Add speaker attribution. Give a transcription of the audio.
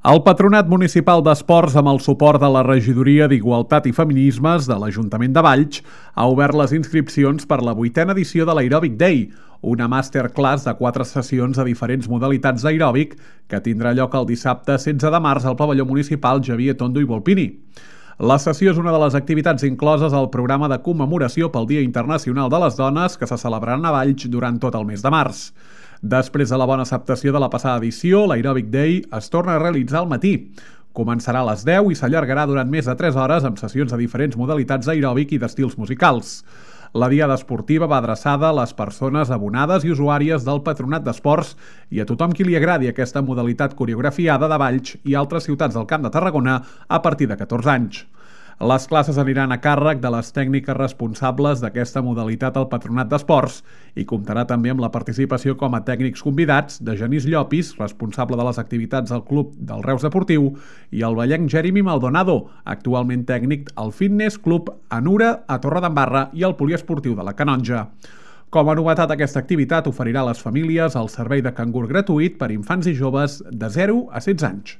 Speaker 1: El Patronat Municipal d'Esports, amb el suport de la Regidoria d'Igualtat i Feminismes de l'Ajuntament de Valls, ha obert les inscripcions per la 8a edició de l'Aerobic Day, una masterclass de 4 sessions de diferents modalitats d'aeròbic que tindrà lloc el dissabte 16 de març al pavelló municipal Xavier Tondo i Volpini. La sessió és una de les activitats incloses al programa de commemoració pel Dia Internacional de les Dones que se celebraran a Valls durant tot el mes de març. Després de la bona acceptació de la passada edició, l'Aerobic Day es torna a realitzar al matí. Començarà a les 10 i s'allargarà durant més de 3 hores amb sessions de diferents modalitats d'aeròbic i d'estils musicals. La diada esportiva va adreçada a les persones abonades i usuàries del Patronat d'Esports i a tothom qui li agradi aquesta modalitat coreografiada de Valls i altres ciutats del Camp de Tarragona a partir de 14 anys. Les classes aniran a càrrec de les tècniques responsables d'aquesta modalitat al Patronat d'Esports i comptarà també amb la participació com a tècnics convidats de Genís Llopis, responsable de les activitats del Club del Reus Deportiu, i el vallenc Jeremy Maldonado, actualment tècnic al Fitness Club Anura a Torredembarra i al Poliesportiu de la Canonja. Com a novetat, aquesta activitat oferirà a les famílies el servei de cangur gratuït per infants i joves de 0 a 16 anys.